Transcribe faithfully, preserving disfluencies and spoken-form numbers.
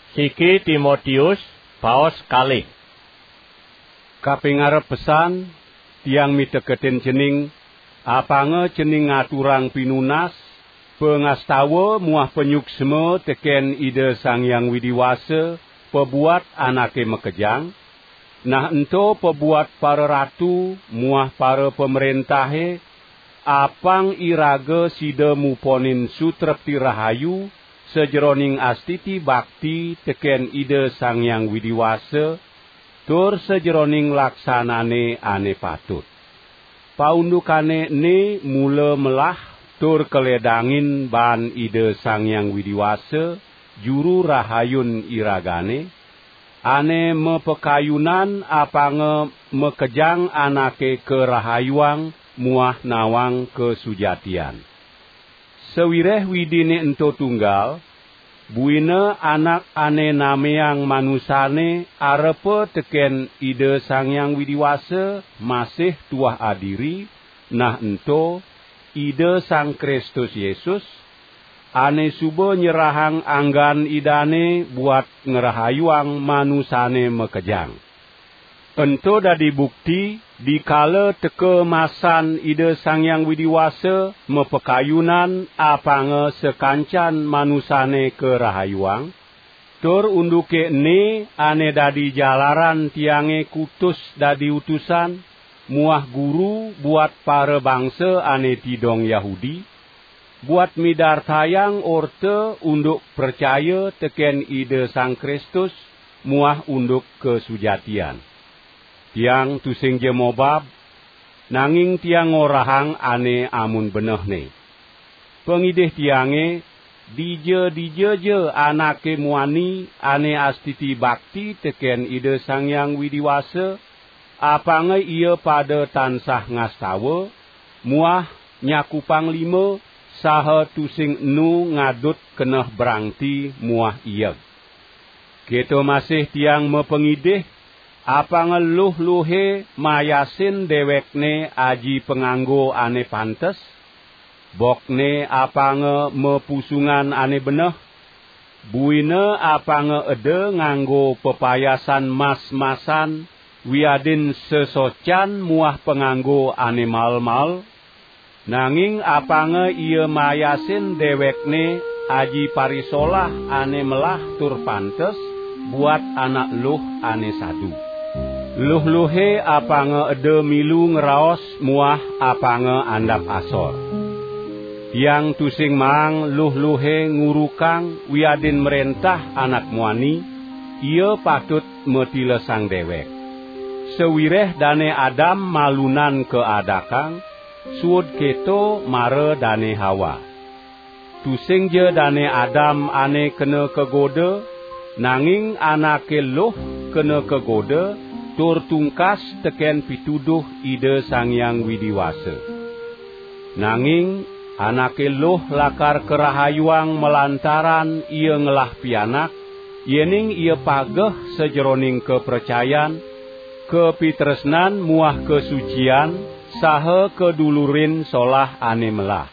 Siki Timotius, paos kalih. Kaping arep pesan, tiang miteketin cening, apanga cening ngaturang pinunas, pangastawa muah panyuksma teken Ida Sang Hyang Widi Wasa pabuat anake makejang, nah ento pabuat pararatu muah parapamrentahe, apang iraga sida muponin sutrepti rahayu sajeroning astiti bakti teken Ida Sang Hyang Widi Wasa, tur sajeroning laksanane ane patut. Paundukane ene mula melah tur kaledangin baan Ida Sang Hyang Widi Wasa, Juru Rahayun iragane, ane mapakayunan apanga makejang anake karahayuang muah nawang kasujatian. Sawireh Widine ento tunggal, buina anak ane nameang manusane arepa teken Ida Sang Hyang Widi Wasa masih tuah adiri, nah ento Ida Sang Kristus Yesus, ane suba nyerahang anggan Idane buat ngrahayuang manusane makejang. Ento dadi bukti, dikala teka masan Ida Sang Hyang Widi Wasa mapakayunan apanga sakancan manusane karahayuang, tur unduke ene ane dadi jalaran tiange kutus dadi utusan muah guru buat parabangsa ane tidong Yahudi, buat midartayang orta unduk pracaya teken Ida Sang Kristus muah unduk kasujatian. Tiang tusingja mobab, nanging tiang ngorahang ane amun benehne. Pangidih tiange, dija-dija ja anake muani ane astiti bakti teken Ida Sang Hyang Widi Wasa, apanga ia pada tansah ngastawa, muah nyakupang lima, saha tusing enu ngadut keneh brangti muah ieg. Keto masih tiang mapangidih, apanga luh-luhe mayasin dewekne aji panganggo ane pantes, bokne apanga mapusungan ane beneh, buina apanga eda nganggo pepayasan mas-masan wiadin sesocan muah panganggo ane mal-mal, nanging apanga ia mayasin dewekne aji parisolah ane melah tur pantes buat anak luh ane sadu. Luh-luhe apanga eda milu ngraos muah apanga andap asor. Tiang tusing maang luh-luhe ngurukang wiadin mrentah anak muani, ia patut matilesang dewek. Sawireh Dane Adam malunan kaadakang, suud keto mara Dane Hawa. Tusingja Dane Adam ane kena kagoda, nanging anake luh kena kagoda tur tungkas teken pituduh Ida Sang Hyang Widi Wasa. Nanging anake luh lakar karahayuang malantaran ia ngelah pianak, yening ia pageh sajeroning kapracayan, kapitresnan muah kasucian, saha kadulurin solah ane melah.